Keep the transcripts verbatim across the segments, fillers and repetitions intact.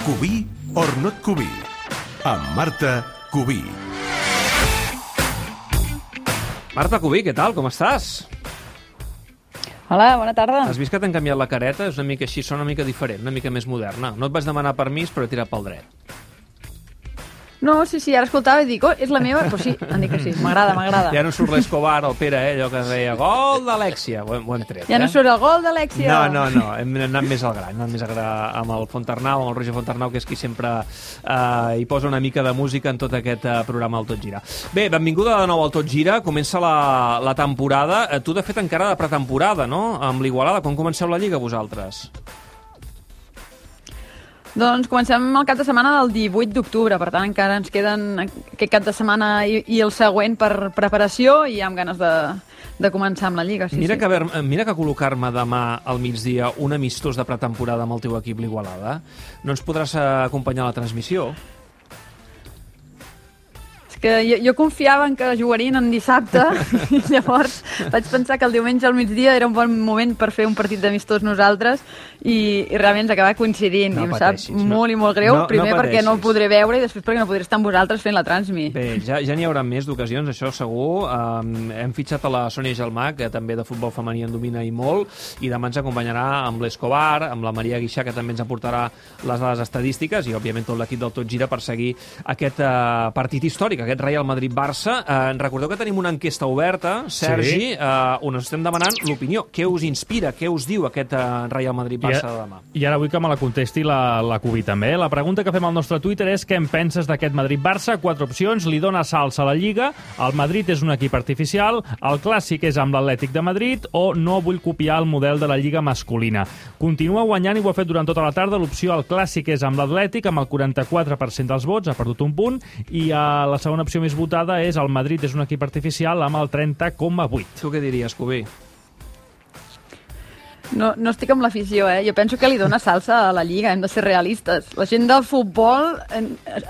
Cubí or not Cubí, amb Marta Cubí. Marta Cubí, què tal? Com estàs? Hola, bona tarda. Has vist que t'han canviat la careta? És una mica així, sona una mica diferent, una mica més moderna. No et vaig demanar permís, però he tirat pel dret. No, sí, sí, ara escoltava i dic, oh, és la meva? Però sí, em dic que sí, m'agrada, m'agrada. Ja no surt l'Escobar, el Pere, eh? Allò que deia, gol d'Alexia. Ho, hem, ho hem tret, ja eh? no surt el gol d'Alexia. No, no, no, hem anat més al gran, hem anat més al gran amb el Fontarnau, amb el Roger Fontarnau, que és qui sempre eh, hi posa una mica de música en tot aquest eh, programa del Tot Gira. Bé, benvinguda de nou al Tot Gira, comença la, la temporada. Eh, tu, de fet, encara de pretemporada, no?, amb l'Igualada. Quan comenceu la Lliga, vosaltres? Doncs comencem el cap de setmana del divuit d'octubre, per tant encara ens queden aquest cap de setmana i, i el següent per preparació i amb ganes de, de començar amb la Lliga. Sí, mira, sí. Que ver, mira que col·locar-me demà al migdia un amistós de pretemporada amb el teu equip, l'Igualada. No ens podràs acompanyar a la transmissió? Que jo, jo confiava en que jugarien en dissabte i llavors vaig pensar que el diumenge al migdia era un bon moment per fer un partit d'amistós nosaltres i, i realment ens acaba coincidint no i em pateixis, sap molt no, i molt greu, no, primer no perquè no el podré veure i després perquè no podré estar amb vosaltres fent la transmi. Bé, ja, ja n'hi haurà més d'ocasions, això segur. Um, hem fitxat a la Sònia Gelmà, que també de futbol femení en domina i molt, i demà ens acompanyarà amb l'Escobar, amb la Maria Guixà, que també ens aportarà les dades estadístiques, i òbviament tot l'equip del Tot Gira per seguir aquest uh, partit històric, aquest Real Madrid-Barça. Eh, recordeu que tenim una enquesta oberta, Sergi, sí. eh, on us estem demanant l'opinió. Què us inspira, què us diu aquest eh, Real Madrid-Barça de demà? I ara vull que me la contesti la, la Cubí també. La pregunta que fem al nostre Twitter és què en penses d'aquest Madrid-Barça? Quatre opcions. Li dona salsa a la Lliga, el Madrid és un equip artificial, el clàssic és amb l'Atlètic de Madrid o no vull copiar el model de la Lliga masculina. Continua guanyant i ho ha fet durant tota la tarda. L'opció el clàssic és amb l'Atlètic, amb el quaranta-quatre per cent dels vots, ha perdut un punt, i eh, la segona opció més votada és el Madrid és un equip artificial amb el trenta coma vuit. Tu què diries, Cubí? No, no estic amb l'afició, eh? Jo penso que li dona salsa a la Lliga, hem de ser realistes. La gent del futbol,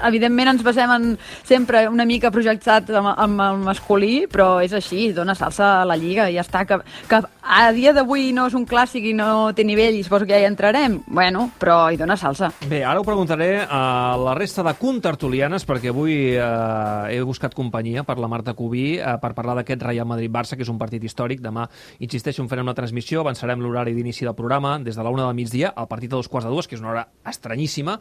evidentment ens basem en sempre una mica projectat amb, amb el masculí, però és així, dona salsa a la Lliga i ja està. Que, que a dia d'avui no és un clàssic i no té nivell i suposo que ja hi entrarem, bueno, però hi dona salsa. Bé, ara ho preguntaré a la resta de contertulianes, perquè avui eh, he buscat companyia per la Marta Cubí eh, per parlar d'aquest Real Madrid-Barça, que és un partit històric. Demà, insisteixo, en farem la transmissió, avançarem l'horari d'inici del programa, des de la una del migdia, al partit a dos quarts de dues, que és una hora estranyíssima,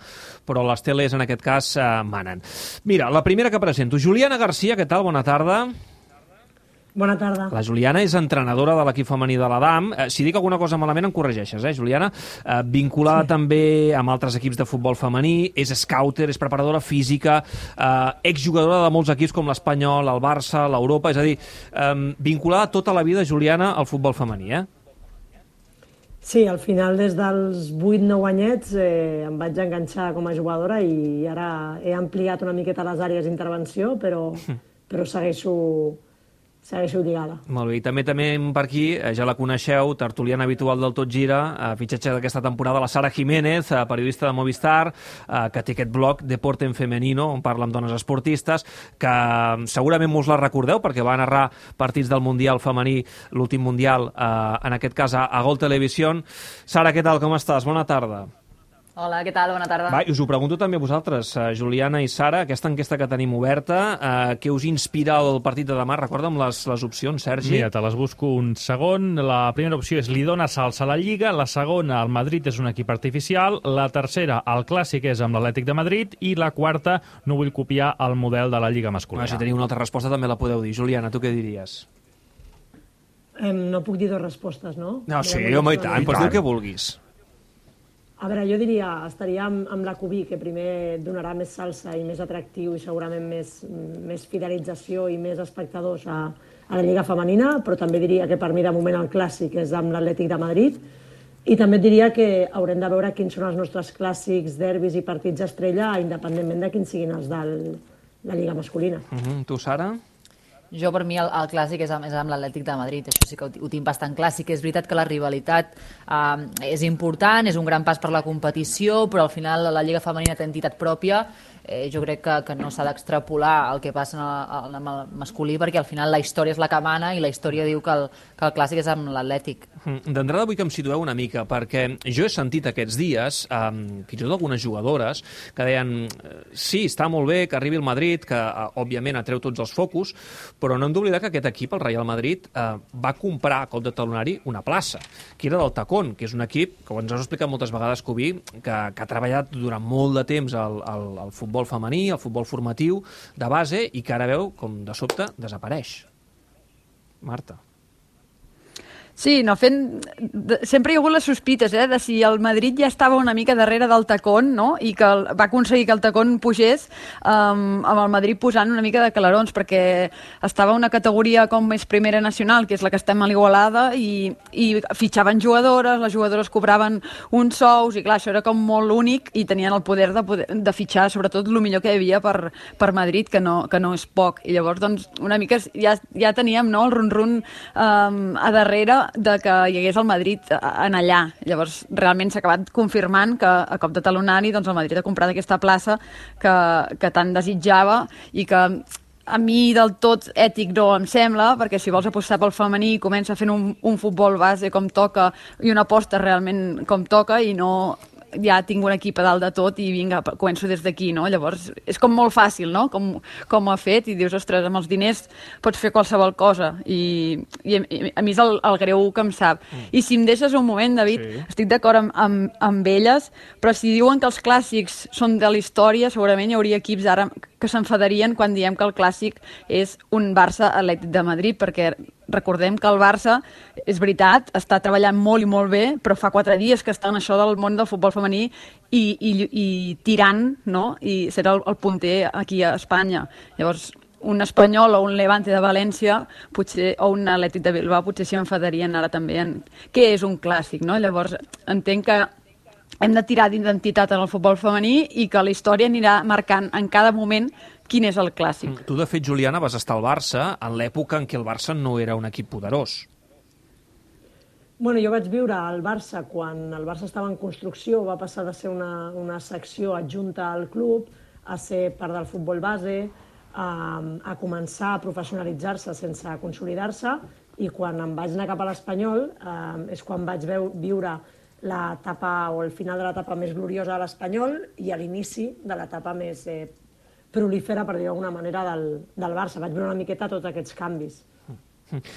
però les teles en aquest cas eh, manen. Mira, la primera que presento, Juliana Garcia, què tal? Bona tarda. Bona tarda. La Juliana és entrenadora de l'equip femení de l'Adam. Eh, si dic alguna cosa malament em corregeixes, eh, Juliana? Eh, vinculada sí. també amb altres equips de futbol femení, és scouter, és preparadora física, eh, exjugadora de molts equips com l'Espanyol, el Barça, l'Europa, és a dir, eh, vinculada tota la vida, Juliana, al futbol femení, eh? Sí, al final des dels vuit nou anyets eh, em vaig enganxar com a jugadora i ara he ampliat una miqueta les àrees d'intervenció, però, però segueixo, segueixo lligada. Molt bé, i també també per aquí, ja la coneixeu, tertuliana habitual del Tot Gira, eh, fitxatge d'aquesta temporada, la Sara Jiménez, eh, periodista de Movistar, eh, que té aquest blog Deporte en Femenino, on parla amb dones esportistes, que segurament mos la recordeu, perquè va narrar partits del Mundial femení, l'últim Mundial, eh, en aquest cas a, a Gol Televisión. Sara, què tal, com estàs? Bona tarda. Hola, què tal? Bona tarda. Va, us ho pregunto també a vosaltres, uh, Juliana i Sara, aquesta enquesta que tenim oberta, uh, què us inspira el partit de demà? Recorda'm les, les opcions, Sergi. Mira, te les busco un segon. La primera opció és li dona salsa a la Lliga, la segona, el Madrid és un equip artificial, la tercera, el clàssic és amb l'Atlètic de Madrid, i la quarta, no vull copiar el model de la Lliga masculina. Ah, si teniu una altra resposta també la podeu dir. Juliana, tu què diries? Eh, no puc dir dues respostes, no? No, sí, home, i tant, pots dir el que vulguis. A veure, jo diria, estaria amb, amb la Cubí, que primer donarà més salsa i més atractiu i segurament més, més fidelització i més espectadors a, a la Lliga femenina, però també diria que per mi de moment el clàssic és amb l'Atlètic de Madrid i també diria que haurem de veure quins són els nostres clàssics, derbis i partits estrella, independentment de quins siguin els de la Lliga masculina. Uh-huh. Tu, Sara? Jo, per mi, el, el clàssic és amb, és amb l'Atlètic de Madrid. Això sí que ho, ho tinc bastant clar. Sí que és veritat que la rivalitat eh, és important, és un gran pas per la competició, però al final la Lliga Femenina té entitat pròpia. Eh, jo crec que, que no s'ha d'extrapolar el que passa en el, en el masculí, perquè al final la història és la que mana i la història diu que el, que el clàssic és amb l'Atlètic. D'entrada vull que em situeu una mica, perquè jo he sentit aquests dies, eh, fins i tot algunes jugadores, que deien, sí, està molt bé que arribi el Madrid, que eh, òbviament atreu tots els focus, però no hem d'oblidar que aquest equip, el Real Madrid, eh, va comprar a cop de talonari una plaça, que era del Tacón, que és un equip, que ens has explicat moltes vegades, Cubí, que, que ha treballat durant molt de temps al, al, al futbol femení, el futbol formatiu de base, i que ara veu com de sobte desapareix. Marta. Sí, no, fent... sempre hi ha hagut les sospites, eh, de si el Madrid ja estava una mica darrere del Tacón, no?, i que el... va aconseguir que el Tacón pugés um, amb el Madrid posant una mica de calarons, perquè estava una categoria com més primera nacional, que és la que estem a l'Igualada, i, i fitxaven jugadores, les jugadores cobraven uns sous, i clar, això era com molt únic, i tenien el poder de, poder, de fitxar, sobretot, el millor que hi havia per, per Madrid, que no, que no és poc. I llavors, doncs, una mica ja, ja teníem, no?, el run-run um, a darrere de que hi hagués el Madrid en allà. Llavors, realment s'ha acabat confirmant que a cop de talonari doncs, el Madrid ha comprat aquesta plaça que, que tant desitjava i que a mi del tot ètic no em sembla, perquè si vols apostar pel femení comença fent un, un futbol base com toca i una aposta realment com toca i no ja tinc un equip a dalt de tot i vinga, començo des d'aquí, no? Llavors, és com molt fàcil, no?, com, com ho ha fet, i dius, ostres, amb els diners pots fer qualsevol cosa, i, i, i a mi és el, el greu que em sap. Mm. I si em deixes un moment, David, sí. Estic d'acord amb, amb, amb elles, però si diuen que els clàssics són de la història, segurament hi hauria equips ara que s'enfadarien quan diem que el clàssic és un Barça-Atlètic de Madrid, perquè recordem que el Barça, és veritat, està treballant molt i molt bé, però fa quatre dies que està en això del món del futbol femení i, i, i tirant, no?, i serà el, el punter aquí a Espanya. Llavors, un Espanyol o un Levante de València potser, o un Atlètic de Bilbao potser s'hi enfadarien ara també en què és un clàssic, no? Llavors, entenc que hem de tirar d'identitat en el futbol femení i que la història anirà marcant en cada moment quin és el clàssic. Tu, de fet, Juliana, vas estar al Barça en l'època en què el Barça no era un equip poderós. Bueno, jo vaig viure al Barça quan el Barça estava en construcció, va passar de ser una, una secció adjunta al club a ser part del futbol base, a, a començar a professionalitzar-se sense consolidar-se, i quan em vaig anar cap a l'Espanyol eh, és quan vaig veu, viure l'etapa o el final de l'etapa més gloriosa de l'Espanyol i a l'inici de l'etapa més eh, prolífera, per dir d'alguna manera, del, del Barça. Vaig veure una miqueta tots aquests canvis.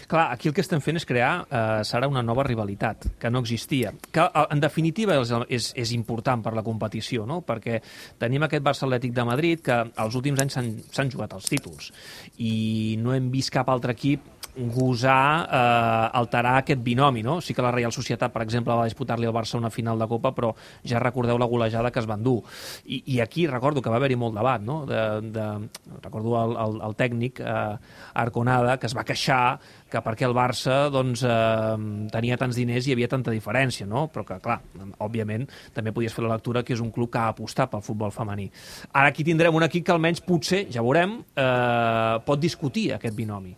Clar, aquí el que estem fent és crear, eh, serà una nova rivalitat, que no existia. Que, en definitiva, és, és, és important per la competició, no?, perquè tenim aquest Barça Atlètic de Madrid que els últims anys s'han jugat els títols i no hem vist cap altre equip gosar eh, alterar aquest binomi, no? Sí que la Real Societat, per exemple, va disputar-li al Barça una final de Copa, però ja recordeu la golejada que es van dur. I, i aquí recordo que va haver-hi molt debat, no? De, de, recordo el, el, el tècnic eh, Arconada, que es va queixar que perquè el Barça doncs, eh, tenia tants diners i hi havia tanta diferència, no? Però que, clar, òbviament, també podies fer la lectura que és un club que ha apostat pel futbol femení. Ara aquí tindrem un equip que almenys potser, ja veurem, eh, pot discutir aquest binomi.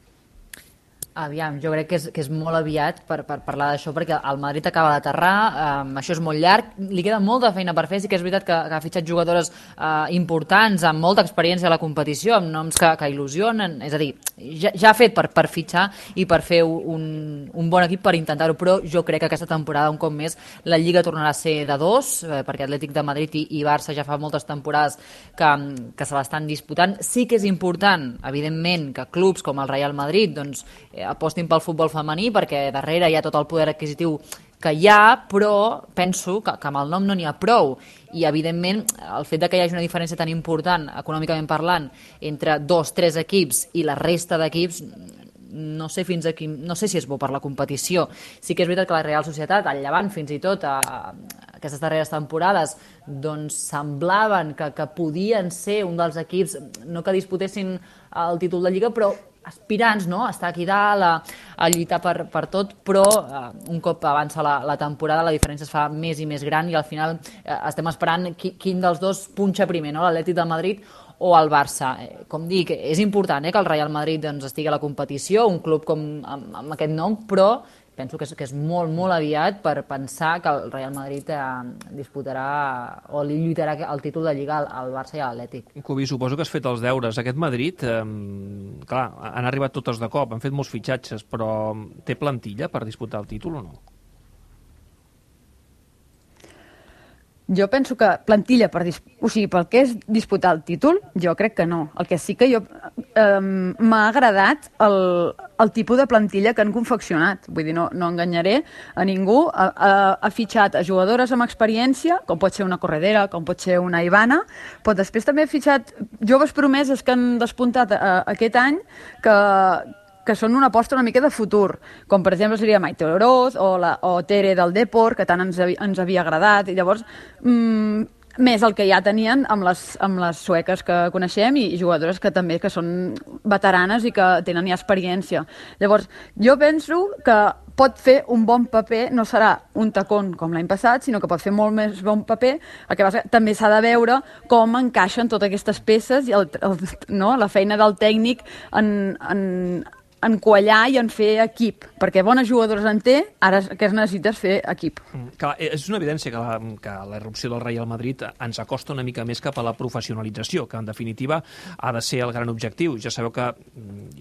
Aviam, jo crec que és, que és molt aviat per, per parlar d'això, perquè el Madrid acaba d'aterrar, um, això és molt llarg, li queda molta feina per fer, sí que és veritat que, que ha fitxat jugadores uh, importants, amb molta experiència a la competició, amb noms que, que il·lusionen, és a dir, ja, ja ha fet per, per fitxar i per fer un, un bon equip per intentar-ho, però jo crec que aquesta temporada, un cop més, la Lliga tornarà a ser de dos, eh, perquè Atlètic de Madrid i, i Barça ja fa moltes temporades que, que se l'estan disputant. Sí que és important, evidentment, que clubs com el Real Madrid, doncs, apostin pel futbol femení, perquè darrere hi ha tot el poder adquisitiu que hi ha, però penso que, que amb el nom no n'hi ha prou. I, evidentment, el fet de que hi hagi una diferència tan important, econòmicament parlant, entre dos, tres equips i la resta d'equips, no sé fins aquí, no sé si és bo per la competició. Sí que és veritat que la Real Societat, al Llevant, fins i tot, a, a aquestes darreres temporades, doncs semblaven que, que podien ser un dels equips, no que disputessin el títol de Lliga, però aspirants, no?, a estar aquí dalt, a, a lluitar per, per tot, però eh, un cop avança la, la temporada la diferència es fa més i més gran i al final eh, estem esperant qui, quin dels dos punxa primer, no?, l'Atlètic de Madrid o el Barça. Com dic, és important eh, que el Real Madrid doncs, estigui a la competició, un club com, amb, amb aquest nom, però penso que és, que és molt, molt aviat per pensar que el Real Madrid eh, disputarà o li lluitarà el títol de Lliga al, al Barça i a l'Atlètic. Cubi, suposo que has fet els deures. Aquest Madrid, eh, clar, han arribat totes de cop, han fet molts fitxatges, però té plantilla per disputar el títol o no? Jo penso que plantilla, per dis... o sigui, pel que és disputar el títol, jo crec que no. El que sí que jo eh, m'ha agradat el, el tipus de plantilla que han confeccionat. Vull dir, no, no enganyaré a ningú. Ha, ha, ha fitxat a jugadores amb experiència, com pot ser una Corredera, com pot ser una Ivana, però després també ha fitxat joves promeses que han despuntat eh, aquest any, que que són una aposta una mica de futur, com per exemple seria Maite Oroz o, la, o Tere del Depor, que tant ens, ens havia agradat, i llavors mmm, més el que ja tenien amb les, amb les sueques que coneixem i, i jugadores que també que són veteranes i que tenen ja experiència. Llavors, jo penso que pot fer un bon paper, no serà un tacón com l'any passat, sinó que pot fer molt més bon paper. El que passa, també s'ha de veure com encaixen totes aquestes peces i el, el, no, la feina del tècnic en, en, en quallar i en fer equip, perquè bones jugadores en té, ara el que es necessita és fer equip. Mm, clar, és una evidència que la, que la irrupció del Real Madrid ens acosta una mica més cap a la professionalització, que en definitiva ha de ser el gran objectiu. Ja sabeu que,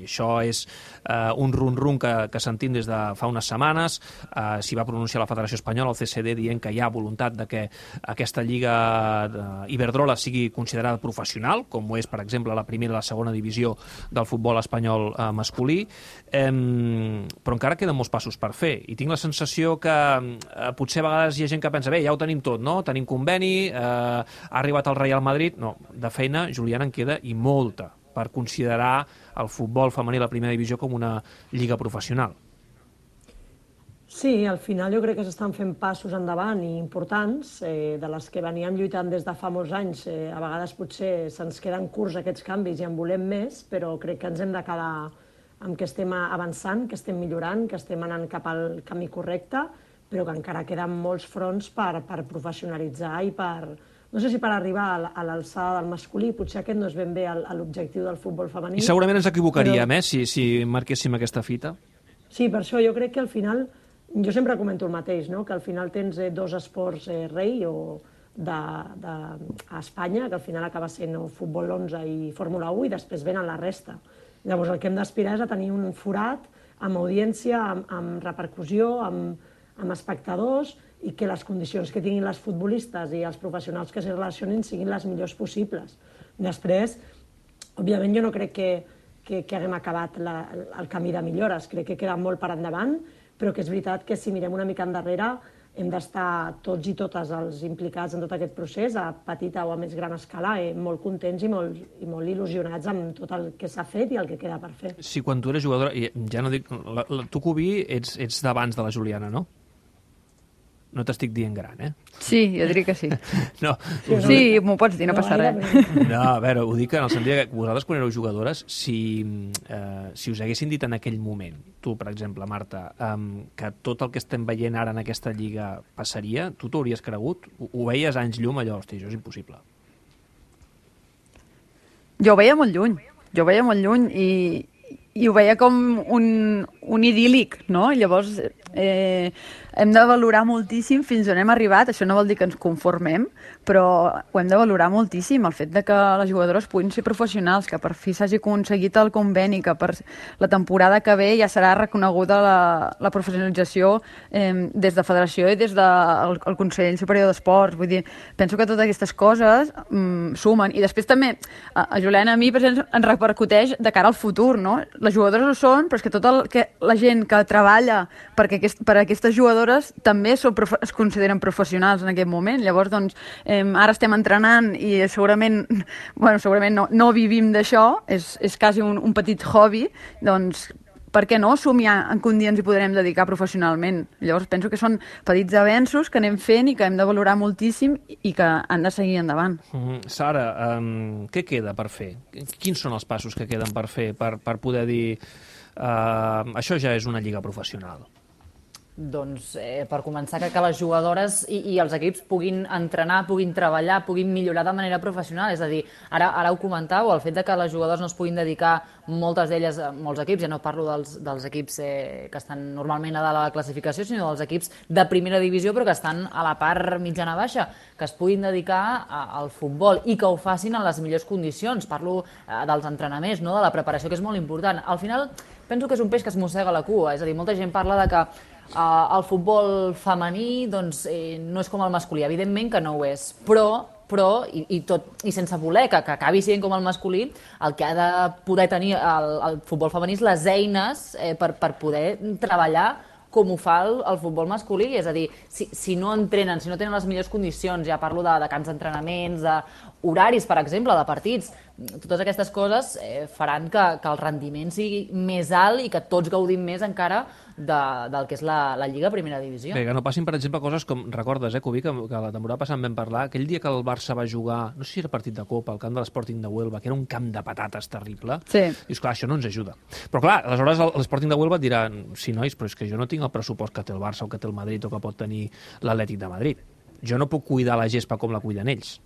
i això és eh, un rum-rum que, que sentim des de fa unes setmanes, eh, s'hi va pronunciar la Federació Espanyola, el C C D, dient que hi ha voluntat de que aquesta Lliga Iberdrola sigui considerada professional, com ho és, per exemple, la primera i la segona divisió del futbol espanyol eh, masculí. Eh, però encara queden molts passos per fer i tinc la sensació que eh, potser a vegades hi ha gent que pensa, bé, ja ho tenim tot, no? Tenim conveni, eh, ha arribat el Real Madrid, no, de feina, Juliana, en queda i molta per considerar el futbol femení a la primera divisió com una lliga professional. Sí, al final jo crec que s'estan fent passos endavant i importants, eh, de les que veníem lluitant des de fa molts anys. Eh, a vegades potser se'ns queden curts aquests canvis i en volem més, però crec que ens hem de quedar amb que estem avançant, que estem millorant, que estem anant cap al camí correcte, però que encara queden molts fronts per, per professionalitzar i per, no sé si per arribar a l'alçada del masculí, potser aquest no és ben bé l'objectiu del futbol femení. I segurament ens equivocaríem, però... eh, si, si marquéssim aquesta fita. Sí, per això jo crec que al final, jo sempre comento el mateix, no? Que al final tens eh, dos esports eh, rei o de, de, a Espanya, que al final acaba sent futbol onze i Fórmula u, i després venen la resta. Llavors el que hem d'aspirar és a tenir un forat amb audiència, amb, amb repercussió, amb, amb espectadors, i que les condicions que tinguin les futbolistes i els professionals que s'hi relacionin siguin les millors possibles. Després, òbviament jo no crec que, que, que haguem acabat la, el camí de millores, crec que queda molt per endavant, però que és veritat que si mirem una mica endarrere hem d'estar tots i totes els implicats en tot aquest procés, a petita o a més gran escala, eh, molt contents i molt, i molt il·lusionats amb tot el que s'ha fet i el que queda per fer. Sí, quan tu eres jugadora, ja no dic, la, la, tu, Cubi, ets, ets d'abans de la Juliana, no? No t'estic dient gran, eh? Sí, jo diria que sí. No, sí, m'ho pots dir, no passa res. No, a veure, ho dic en el sentit que vosaltres, quan éreu jugadores, si, eh, si us haguessin dit en aquell moment, tu, per exemple, Marta, eh, que tot el que estem veient ara en aquesta lliga passaria, tu t'ho hauries cregut? Ho, ho veies anys llum, allò, hosti, això és impossible. Jo ho veia molt lluny, jo ho veia molt lluny i, i ho veia com un, un idíl·lic, no? Llavors, eh, hem de valorar moltíssim fins on hem arribat. Això no vol dir que ens conformem, però ho hem de valorar moltíssim, el fet de que les jugadores puguin ser professionals, que per fi s'hagi aconseguit el conveni, que per la temporada que ve ja serà reconeguda la, la professionalització eh, des de Federació i des del de, Consell Superior d'Esports. Vull dir, penso que totes aquestes coses mm, sumen. I després també, a, a Juliana, a mi, per exemple, ens repercuteix de cara al futur, no? Les jugadores ho són, però és que tota el, que la gent que treballa perquè aquest, per aquestes jugadores també són, es consideren professionals en aquest moment. Llavors, doncs, eh, ara estem entrenant i segurament, bueno, segurament no, no vivim d'això, és, és quasi un, un petit hobby, doncs, per què no somiar en que un dia ens hi podrem dedicar professionalment? Llavors penso que són petits avenços que anem fent i que hem de valorar moltíssim i que han de seguir endavant. Mm-hmm. Sara, um, què queda per fer? Quins són els passos que queden per fer per, per poder dir uh, això ja és una lliga professional? Doncs, eh, per començar, que, que les jugadores i, i els equips puguin entrenar, puguin treballar, puguin millorar de manera professional. És a dir, ara, ara ho comentàveu, el fet de que les jugadores no es puguin dedicar, moltes d'elles, molts equips, ja no parlo dels, dels equips eh, que estan normalment a la classificació, sinó dels equips de primera divisió, però que estan a la part mitjana-baixa, que es puguin dedicar a, al futbol i que ho facin en les millors condicions. Parlo eh, dels entrenaments, no? De la preparació, que és molt important. Al final, penso que és un peix que es mossega la cua, és a dir, molta gent parla de que Uh, el futbol femení doncs, eh, no és com el masculí, evidentment que no ho és, però, però i, i, tot, i sense voler que, que acabi sent com el masculí, el que ha de poder tenir el, el futbol femení és les eines eh, per, per poder treballar com ho fa el, el futbol masculí, és a dir, si, si no entrenen, si no tenen les millors condicions, ja parlo de, de camps d'entrenaments, d'horaris, per exemple, de partits, totes aquestes coses eh, faran que, que el rendiment sigui més alt i que tots gaudim més encara de, del que és la, la Lliga Primera Divisió. Bé, que no passin, per exemple, coses com, recordes, eh, Cubi, que, que la temporada passada en vam parlar, aquell dia que el Barça va jugar, no sé si era partit de Copa, al camp de l'Sporting de Huelva, que era un camp de patates terrible, sí. I és clar, això no ens ajuda. Però clar, aleshores l'Sporting de Huelva et dirà, sí, nois, però és que jo no tinc el pressupost que té el Barça o que té el Madrid o que pot tenir l'Atlètic de Madrid. Jo no puc cuidar la gespa com la cuiden ells.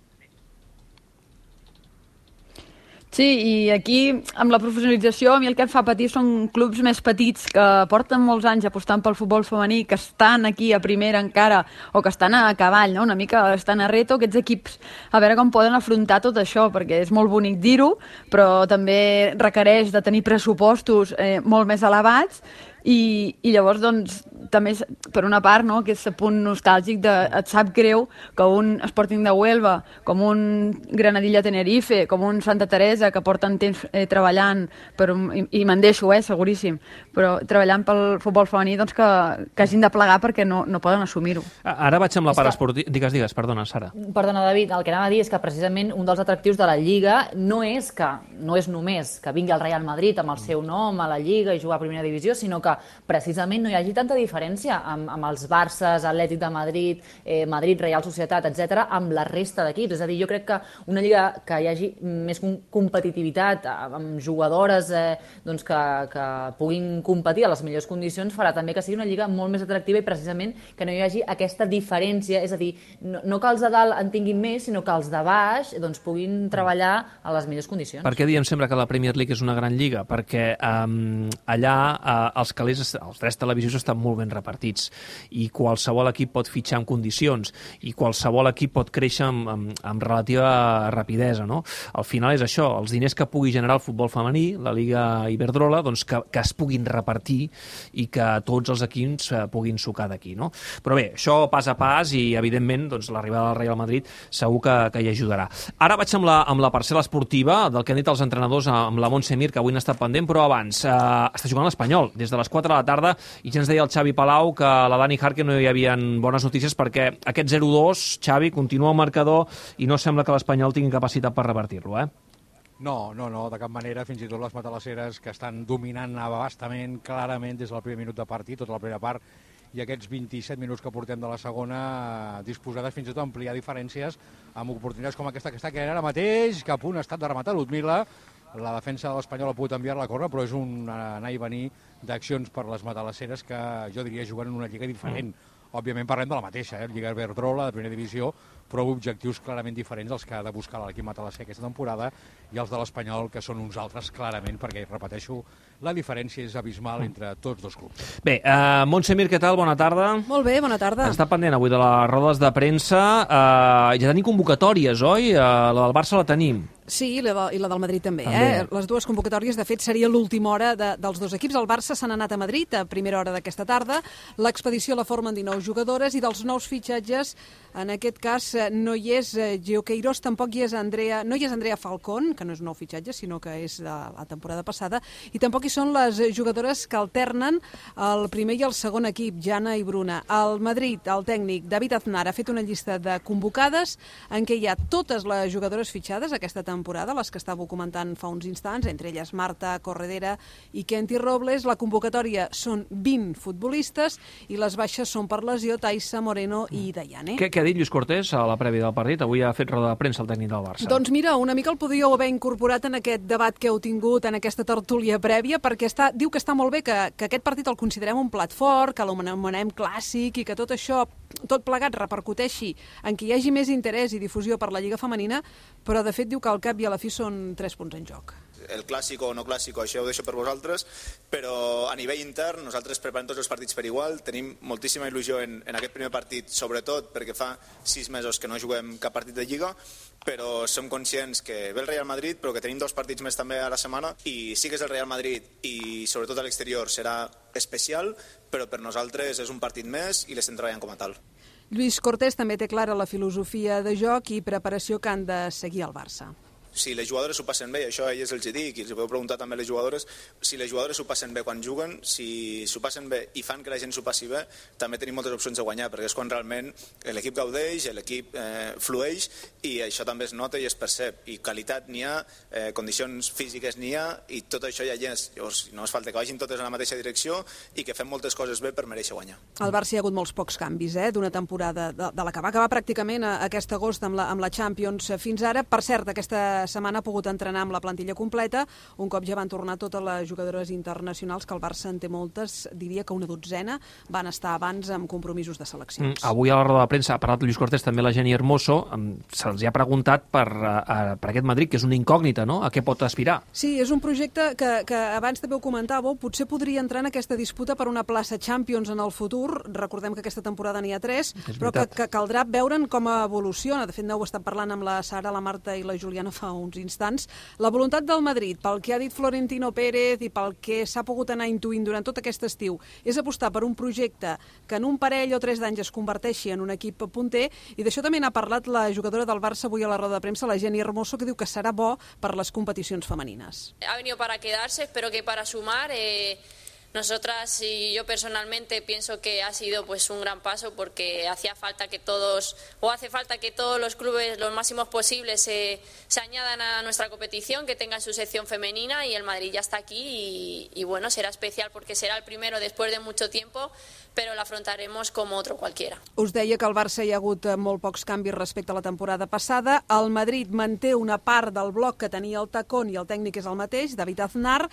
Sí, i aquí, amb la professionalització, a mi el que em fa patir són clubs més petits que porten molts anys apostant pel futbol femení, que estan aquí a primera encara, o que estan a cavall, no? Una mica estan a reto, aquests equips, a veure com poden afrontar tot això, perquè és molt bonic dir-ho, però també requereix de tenir pressupostos eh, molt més elevats, i, i llavors, doncs, també, per una part, no, que és el punt nostàlgic de, et sap greu que un Sporting de Huelva, com un Granadilla Tenerife, com un Santa Teresa, que porten temps eh, treballant, per un, i, i me'n deixo, eh, seguríssim, però treballant pel futbol femení, doncs que, que hagin de plegar perquè no, no poden assumir-ho. Ara vaig amb la part esportiva. Digues, digues, perdona, Sara. Perdona, David, el que anava a dir és que precisament un dels atractius de la Lliga no és que no és només que vingui el Real Madrid amb el seu nom a la Lliga i jugar a Primera Divisió, sinó que precisament no hi hagi tanta diferència amb, amb els Barces, Atlètic de Madrid, eh, Madrid, Real Societat, etcètera, amb la resta d'equips. És a dir, jo crec que una lliga que hi hagi més competitivitat, amb jugadores eh, doncs que, que puguin competir a les millors condicions, farà també que sigui una lliga molt més atractiva i precisament que no hi hagi aquesta diferència, és a dir, no, no que els de dalt en tinguin més, sinó que els de baix doncs, puguin treballar a les millors condicions. Per què diem sempre que la Premier League és una gran lliga? Perquè um, allà uh, els calés, els drets televisius estan molt ben repartits i qualsevol equip pot fitxar en condicions i qualsevol equip pot créixer amb, amb, amb relativa rapidesa, no? Al final és això, els diners que pugui generar el futbol femení, la Lliga Iberdrola, doncs que, que es puguin repartir i que tots els equips eh, puguin sucar d'aquí, no? Però bé, això pas a pas i, evidentment, doncs, l'arribada del Real Madrid segur que, que hi ajudarà. Ara vaig amb la, amb la parcel·la esportiva del que han dit els entrenadors amb la Montse Mir, que avui n'ha estat pendent, però abans eh, està jugant l'Espanyol des de les quatre de la tarda i ja ens deia el Xavi Palau que la Dani Jarque no hi havia bones notícies perquè aquest zero dos, Xavi, continua al marcador i no sembla que l'Espanyol tingui capacitat per revertir-lo, eh? No, no, no, de cap manera, fins i tot les matalasseres que estan dominant abastament, clarament, des del primer minut de partit, tota la primera part, i aquests vint-i-set minuts que portem de la segona, disposades fins i tot a ampliar diferències amb oportunitats com aquesta que està creant ara mateix, que a punt ha estat de rematar Ludmila. La defensa de l'Espanyol ha pogut enviar la corna, però és un anar i venir d'accions per les matalasseres que jo diria juguen en una lliga diferent. Òbviament parlem de la mateixa, eh? Lliga Iberdrola, de primera divisió, però objectius clarament diferents als que ha de buscar l'equip matalasser aquesta temporada i els de l'Espanyol, que són uns altres clarament, perquè, repeteixo, la diferència és abismal entre tots dos clubs. Bé, uh, Montse Mir, què tal? Bona tarda. Molt bé, bona tarda. Està pendent avui de les rodes de premsa. Uh, ja tenim convocatòries, oi? Uh, la del Barça la tenim. Sí, i la, i la del Madrid també. també. Eh? Les dues convocatòries, de fet, seria l'última hora de, dels dos equips. El Barça se n'ha anat a Madrid a primera hora d'aquesta tarda. L'expedició la formen dinou jugadores i dels nous fitxatges, en aquest cas, no hi és Gio Queiroz, tampoc hi és Andrea, no hi és Andrea Falcón, que no és un nou fitxatge, sinó que és de la temporada passada, i tampoc hi són les jugadores que alternen el primer i el segon equip, Jana i Bruna. El Madrid, el tècnic David Aznar, ha fet una llista de convocades en què hi ha totes les jugadores fitxades aquesta temporada, temporada, les que estàveu comentant fa uns instants, entre elles Marta Corredera i Kenty Robles. La convocatòria són vint futbolistes i les baixes són per lesió Taissa, Moreno i Dayane. Què, què ha dit Lluís Cortés a la prèvia del partit? Avui ha fet roda de premsa el tècnic del Barça. Doncs mira, una mica el podríeu haver incorporat en aquest debat que heu tingut, en aquesta tertúlia prèvia, perquè està, diu que està molt bé, que, que aquest partit el considerem un plat fort, que l'anomenem clàssic i que tot això, tot plegat, repercuteixi en que hi hagi més interès i difusió per la Lliga Femenina, però de fet diu que al cap i a la fi són tres punts en joc. El clàssic o no clàssic, això ho deixo per vosaltres, però a nivell intern nosaltres preparem tots els partits per igual, tenim moltíssima il·lusió en, en aquest primer partit, sobretot perquè fa sis mesos que no juguem cap partit de Lliga, però som conscients que ve el Real Madrid, però que tenim dos partits més també a la setmana, i sí que és el Real Madrid i sobretot a l'exterior serà especial, però per nosaltres és un partit més i l'estem treballant com a tal. Lluís Cortés també té clara la filosofia de joc i preparació que han de seguir al Barça. Si les jugadores s'ho passen bé, i això a elles els hi dic, i els podeu preguntar també a les jugadores, si les jugadores s'ho passen bé quan juguen, si s'ho passen bé i fan que la gent s'ho passi bé, també tenim moltes opcions de guanyar, perquè és quan realment l'equip gaudeix, l'equip eh, flueix, i això també es nota i es percep. I qualitat n'hi ha, eh, condicions físiques n'hi ha, i tot això ja hi és. Llavors, no es falta que vagin totes en la mateixa direcció i que fem moltes coses bé per mereixer guanyar. Al Barça hi ha hagut molts pocs canvis, eh, d'una temporada de, de la que va acabar pràcticament a, aquest agost amb la, amb la Champions fins ara. Per cert, aquesta setmana ha pogut entrenar amb la plantilla completa, un cop ja van tornar totes les jugadores internacionals, que el Barça en té moltes, diria que una dotzena, van estar abans amb compromisos de seleccions. Mm, avui a la roda de premsa ha parlat Lluís Cortés, també la Jenny Hermoso, se'ls ha preguntat per, uh, per aquest Madrid, que és una incògnita, no?, a què pot aspirar. Sí, és un projecte que, que abans també ho comentàveu, potser podria entrar en aquesta disputa per una plaça Champions en el futur. Recordem que aquesta temporada n'hi ha tres, però que, que caldrà veure'n com evoluciona. De fet, no ho he estat parlant amb la Sara, la Marta i la Juliana fa uns instants. La voluntat del Madrid, pel que ha dit Florentino Pérez i pel que s'ha pogut anar intuint durant tot aquest estiu, és apostar per un projecte que en un parell o tres d'anys es converteixi en un equip punter, i d'això també n'ha parlat la jugadora del Barça avui a la roda de premsa, la Jenny Hermoso, que diu que serà bo per les competicions femenines. Ha venido para quedarse, espero que para sumar. Eh... Nosotras y yo personalmente pienso que ha sido pues un gran paso, porque hacía falta que todos, o hace falta que todos los clubes, los máximos posibles, se, se añadan a nuestra competición, que tengan su sección femenina, y el Madrid ya está aquí y, y bueno, será especial porque será el primero después de mucho tiempo, però l'afrontaremos com otro qualquiera. Us deia que al Barça hi ha hagut molt pocs canvis respecte a la temporada passada. El Madrid manté una part del bloc que tenia el Tacón i el tècnic és el mateix, David Aznar.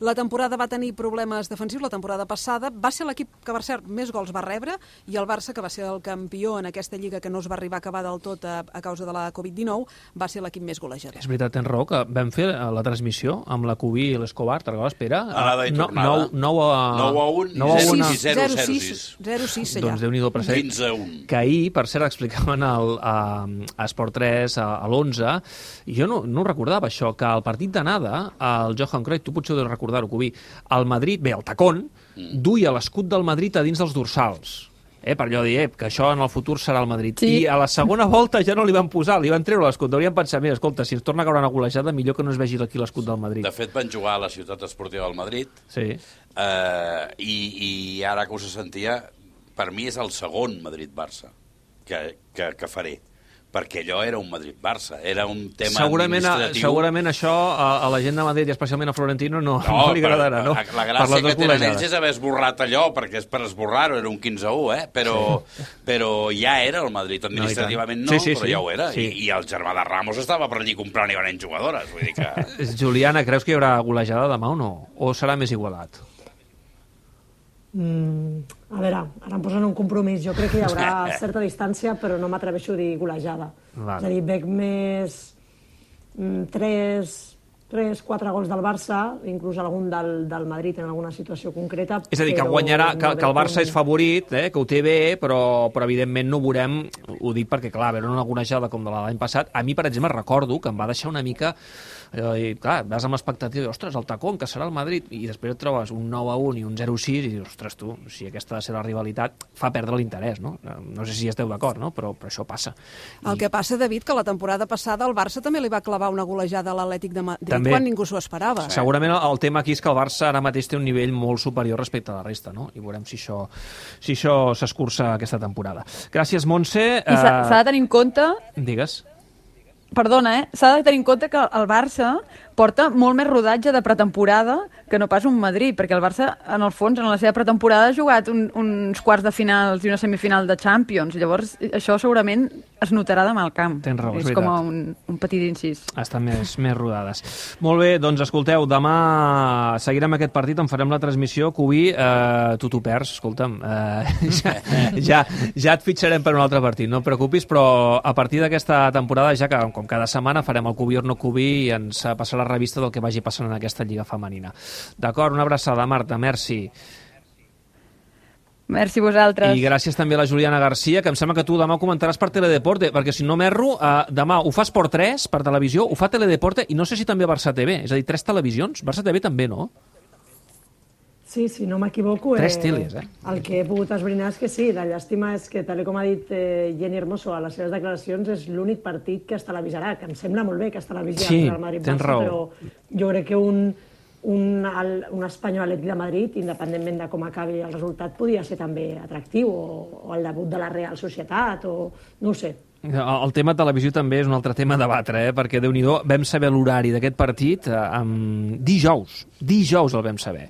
La temporada va tenir problemes defensius la temporada passada. Va ser l'equip que, per cert, més gols va rebre, i el Barça, que va ser el campió en aquesta lliga que no es va arribar a acabar del tot a, a causa de la covid dinou, va ser l'equip més golejador. És veritat, tens raó, que vam fer la transmissió amb la Cubí i l'Escobar, te'n recordes, Pere? Anada i tornada. nou a un i zero a sis. zero sis allà. Doncs Déu-n'hi-do per ser. quinze a un. Que ahir, per cert, explicaven el, a, a Esport tres, a, a l'onze, i jo no, no recordava això, que al partit d'anada, el Johan Cruyff, tu potser ho deus recordar-ho, Cubí, el Madrid, bé, el Tacón, mm. duia l'escut del Madrid a dins dels dorsals. Eh, per allò de dir, eh, que això en el futur serà el Madrid. Sí. I a la segona volta ja no li van posar, li van treure l'escut. Haurien pensat, mira, escolta, si ens torna a caure una golejada, millor que no es vegi aquí l'escut del Madrid. De fet, van jugar a la ciutat esportiva del Madrid, sí. eh, i, i ara que us sentia, per mi és el segon Madrid-Barça que, que, que faré, perquè allò era un Madrid-Barça, era un tema segurament, administratiu. Segurament això a, a la gent de Madrid, i especialment a Florentino, no, no, no li agradarà, no? La, la gràcia que tenen ells és haver esborrat allò, perquè és per esborrar-ho, era un quinze a u, eh? però, sí. però ja era el Madrid, administrativament no, no sí, sí, però sí. ja ho era, sí. I, i el germà de Ramos estava per allí comprant i venent jugadores, vull dir que... Juliana, creus que hi haurà golejada demà o no? O serà més igualat? Mm, a veure, ara em posen un compromís. Jo crec que hi haurà certa distància, però no m'atreveixo a dir golejada. Vale. És a dir, veig més mm, tres, tres, quatre gols del Barça, inclús algun del, del Madrid en alguna situació concreta. És a dir, que guanyarà, que, que el Barça és favorit, eh, que ho té bé, però, però evidentment no ho veurem, ho dic perquè, clar, veure una golejada com de l'any passat, a mi, per exemple, recordo que em va deixar una mica... I, clar, vas amb l'expectativa, ostres, el Tacón, que serà el Madrid, i després et trobes un nou a un i un zero a sis i dius, ostres, tu, si aquesta ha de ser la rivalitat, fa perdre l'interès, no? No sé si esteu d'acord, no? Però, però això passa. El I... que passa, David, que la temporada passada el Barça també li va clavar una golejada a l'Atlètic de Madrid també, quan ningú s'ho esperava. Sí. Segurament el tema aquí és que el Barça ara mateix té un nivell molt superior respecte a la resta, no? I veurem si això si això s'escurça aquesta temporada. Gràcies, Montse. I s'ha uh... de tenir en compte... Digues. perdona, eh? S'ha de tenir en compte que el Barça porta molt més rodatge de pretemporada que no pas un Madrid, perquè el Barça, en el fons, en la seva pretemporada ha jugat un, uns quarts de finals i una semifinal de Champions. Llavors, això segurament es notarà demà al camp. Tens raó, és, és com un, un petit incís. Estan més, més rodades. Molt bé, doncs escolteu, demà seguirem aquest partit, en farem la transmissió. Cubí, eh, tu t'ho perds, escolta'm. Eh, ja, ja, ja et fitxarem per un altre partit, no et preocupis, però a partir d'aquesta temporada, ja que com cada setmana farem el Cubí o no Cubí i ens passarà la revista del que vagi passant en aquesta lliga femenina. D'acord, una abraçada, Marta, merci. Merci a vosaltres. I gràcies també a la Juliana Garcia, que em sembla que tu demà ho comentaràs per Teledeporte, perquè si no m'erro, eh, demà ho fa Esport tres per televisió, ho fa Teledeporte i no sé si també Barça T V, és a dir, tres televisions, Barça T V també, no? Sí, si no m'equivoco, Tres eh, teles, eh? el que he pogut esbrinar és que sí, la llàstima és que, tal com ha dit eh, Jenny Hermoso a les seves declaracions, és l'únic partit que es televisarà, que em sembla molt bé que es televisarà sí, el Madrid-Barça, però jo crec que un, un, el, un Espanyol Atlètic de Madrid, independentment de com acabi el resultat, podia ser també atractiu, o, o el debut de la Real Societat, o no ho sé. El tema televisió també és un altre tema a debatre, eh? Perquè, Déu-n'hi-do, vam saber l'horari d'aquest partit eh, amb dijous. Dijous el vam saber.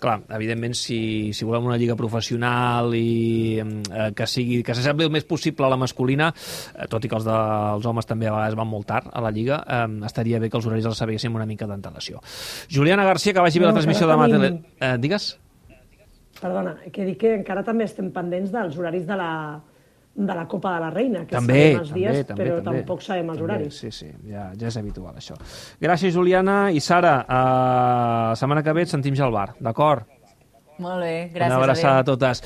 Clar, evidentment, si, si volem una lliga professional i eh, que sigui que s'assembli el més possible a la masculina, eh, tot i que els dels homes també a vegades van molt tard a la lliga, eh, estaria bé que els horaris els sabéssim una mica d'antelació. Juliana Garcia, que vagi bé la transmissió demà. Tele... Eh, digues? Perdona, que dic que encara també estem pendents dels horaris de la de la Copa de la Reina, que també, sabem els dies, també, però també, tampoc sabem els també, horaris. Sí, sí, ja, ja és habitual, això. Gràcies, Juliana. I Sara, eh, setmana que ve et sentim ja al bar, d'acord? Molt bé, gràcies. Una abraçada a totes.